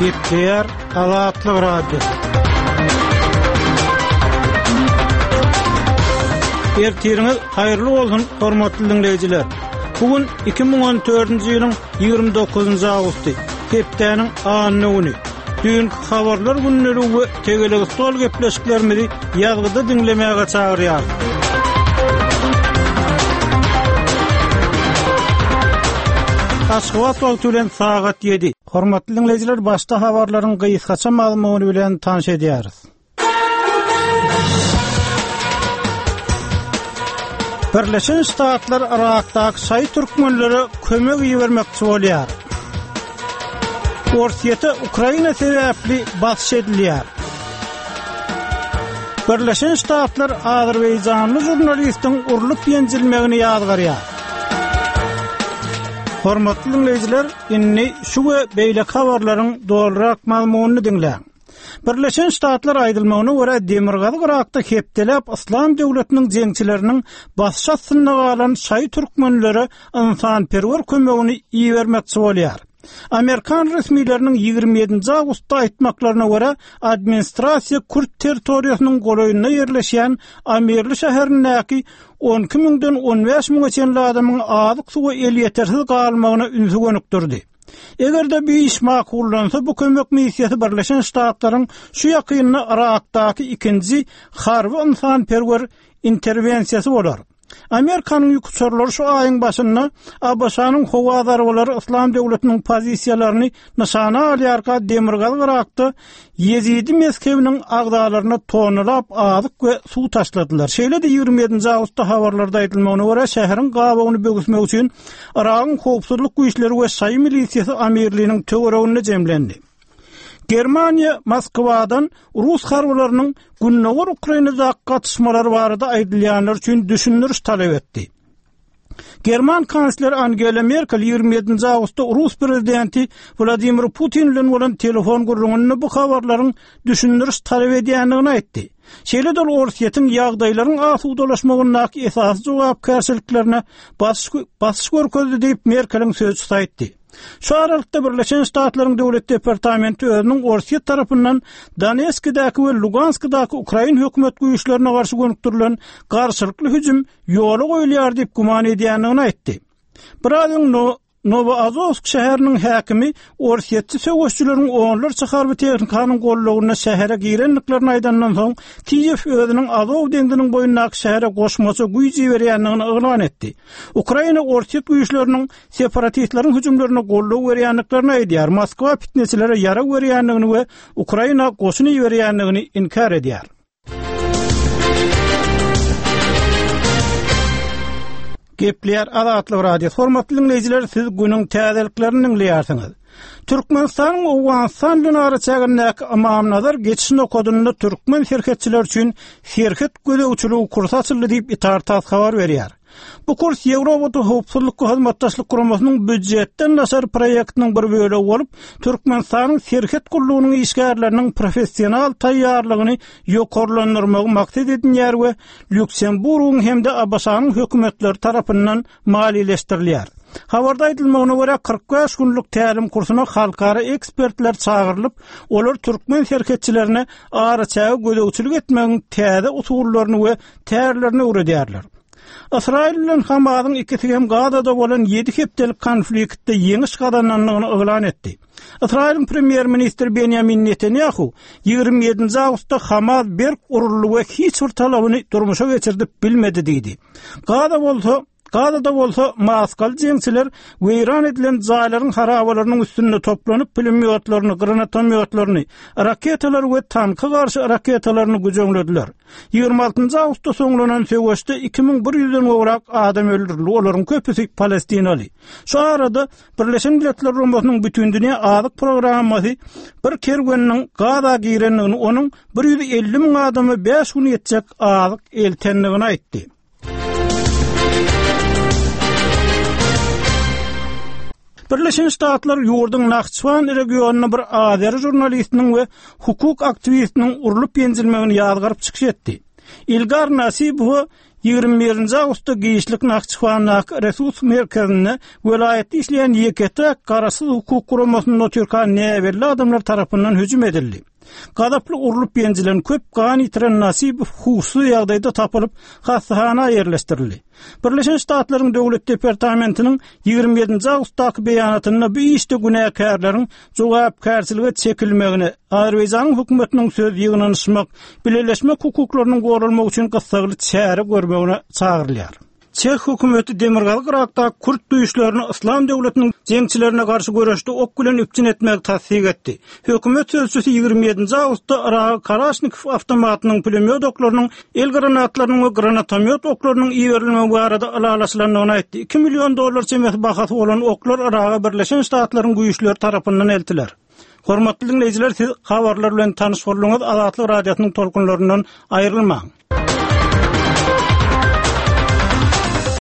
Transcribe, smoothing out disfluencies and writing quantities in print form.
Gepleýär Azatlyk Radiosy. Ertiriňiz haýyrly bolsun, hormatly diňleýjiler! Bu gün 2014-nji ýylyň 29-njy awgusty, hepdäniň anna güni. Düýnki habarlar gündeligi we tegelek stol gepleşiklerimizi ýazgyda diňlemäge çagyrýarys. Aşgabat wagty bilen sagat 7. Hormatly diňleýjiler, başda habarlaryň gysgaça mazmuny bilen tanyş edýäris. Birleşen Ştatlar Yrakdaky şaýy türkmenlere kömek ibermekçi bolýar. Orsýete Ukraina sebäpli basyş edilýär. Birleşen Ştatlar azerbaýjanly žurnalistiň urlup ýenjilmegini ýazgarýar. Hormatly diňleýjiler, indi şu we beýleki habarlaryň dolurak mazmunyny diňläň. Birleşen Ştatlar aýdylmagyna görä Demirgazyk Yrakda hepdeläp Yslam döwletiniň jeňçileriniň basyş astynda galan şaýy türkmenlere ynsanperwer kömegini ibermekçi bolýar. Amerikan resmileriniň 27-nji awgustda aýtmaklaryna görä, administrasiýa kürt territoriýasynyň golaýynda ýerleşýän Amirli şäherindäki 12 müňden 15 müňe çenli adamyň azyk-suwa elýetersiz galmagyna ünsi gönükdirdi. Eger-de bu iş makullansa, bu kömek missiýasy Birleşen Ştatlaryň şu ýakynda Yrakdaky ikinji harby-ynsanperwer interwensiýasy bolar. Amerikanyň ýük uçarlary şu aýyň başynda ABŞ-nyň howa zarbalary Yslam döwletiniň pozisiýalaryny nyşana alýarka Demirgazyk Yrakda Ýezidi mezhebiniň agzalaryna tonnalap azyk we suw taşladylar. Şeýle-de 27-nji awgustda habarlarda aýdylmagyna görä, şäheriň gabawyny böwüsmek üçin Yragyň howpsuzlyk güýçleri we şaýy milisiýasy Amirliniň töwereginde jemlendi. Germaniýa Moskwadan rus harbylarynyň gündogar Ukrainadaky gatyşmalary barada aýdylýanlar üçin düşündiriş talap etdi. German kansleri Angela Merkel 27-nji awgustda rus prezidenti Wladimir Putin bilen bolan telefon gürrüňinde bu habarlaryň düşündiriş talap edýändigini aýtdy. Şeýle-de ol Orsýetiň ýagdaýlaryň asudalaşmagyndaky esasy jogapkärçiliklerine basyş görkezdi diýip, Merkeliň sözçüsi aýtdy. Şu aralykda Birleşen Ştatlaryň Döwlet departamenti özüniň Orsýet tarapyndan Donetskidäki we Luganskdaky ukrain hökümet güýçlerine garşy gönükdirilen garşylykly hüjüm ýola goýulýar diýip güman edýändigini aýtdy. Biraz öň Nowoazowsk şäheriniň häkimi orsýetçi söweşijileriň onlarça harby tehnikanyň gollagynda şähere girendiklerini aýdandan soň, Kiýew özüniň Azow deňziniň boýundaky şähere goşmaça güýç iberýändigini yglan etdi. Ukraina orsýet güýçleriniň separatistleriň hüjümlerine goldaw berýändiklerini aýdýar, Moskwa pitneçilere ýarag berýändigini we Ukraina goşun iberýändigini inkär edýär. Gepleýär Azatlyk Radiosy. Hormatly diňleýjiler, siz günüň täzeliklerini diňleýärsiňiz. Türkmenistanyň Owganystan bilen araçägindäki Ymamnazar geçiş nokadynda türkmen serhetçileri üçin serhet gözegçiligi kursy açyldy diýip, Itar-tass habar berýär. Bu kurs Ýewropada Howpsuzlyk we Hyzmatdaşlyk Guramasynyň býujetden daşary proýektiniň bir bölegi bolup, Türkmenistanyň Serhet gullugynyň işgärleriniň professional taýýarlygyny ýokarlandyrmagy maksat edinýär we Lýuksemburgyň hem-de ABŞ-nyň hökümetleri tarapyndan maliýeleşdirilýär. Habarda aýdylmagyna görä, 45 günlük tälim kursuna halkara ekspertler çagyrylyp, olar türkmen serhetçilerine araçäge gözegçilik etmegiň täze usullaryny we tärlerini öwredýärler. Ysraýyl bilen Hamasyň ikisi hem Gazada bolan ýedi hepdelik konfliktde ýeňiş gazanandygyny yglan etdi. Ysraýylyň premýer-ministri Benýamin Netanýahu 27-nji awgustda Hamas berk uruldy we hiç bir talabyny durmuşa geçirdip bilmedi diýdi. Gaza bolsa Gazada bolsa maskaly jeňçiler weýran edilen jaýlaryň harabalarynyň üstünde toplanyp pulemýotlaryny, granatomýotlaryny, raketalary we tanka garşy raketalaryny güjeňlediler. 26 awgustda soňlanan söweşde 2100-den gowrak adam öldürildi, olaryň köpüsi palestinaly. Şu arada Birleşen Milletler Guramasynyň Bütindünýä Azyk Programmasy bir kerweniniň Gaza girendigini, onuň 150 müň adama bäş gün ýetjek azyk eltendigini aýtdy. Birleşen Ştatlar ýurduň Nahçywan regionynda bir azeri žurnalistiniň we hukuk aktiwistiniň urlup ýenjilmegini ýazgaryp çykyş etdi. Ilgar Nasibowa. 21 nji awgustda giçlik Nahçywandaky Resurs merkezinde welaýatda işleýän ýeke-täk garaşsyz hukuk guramasynda otyrkan näbelli adamlar tarapyndan hüjüm edildi. Gazaply urlup ýenjilen, köp gan ýitiren Nasibow huşsuz ýagdaýda tapylyp, hassahana ýerleşdirildi. Birleşen Ştatlaryň Döwlet departamentiniň 27 nji awgustdaky beýanatynda bu işde günäkärleriň jogapkärçilige çekilmegine, Azerbaýjanyň hökümetiniň söz ýygnanyşmak, bileleşmek hukuklarynyň goralmagy üçin gyssagly çäre görmegine çagyrylýar. Çeh hökümeti Demirgazyk Yrakdaky kürt güýçlerini Yslam döwletiniň jeňçilerine garşy göreşde ok bilen üpjün etmegi tassyk etdi. Hökümet sözçüsi 27 nji awgustda Yraga Kalaşnikow awtomatynyň, pulemýot oklarynyň, el granatlarynyň we granatomýot oklarynyň iberilmegi barada ylalaşylandygyny aýtdy. Iki million dollar çemesi bahasy bolan oklar Yraga Birleşen Ştatlaryň güýçleri tarapyndan eltiler. Hormatly diňleýjiler, siz habarlar bilen tanyş bolduňyz, Azatlyk Radiosynyň tolkunlaryndan aýrylmaň.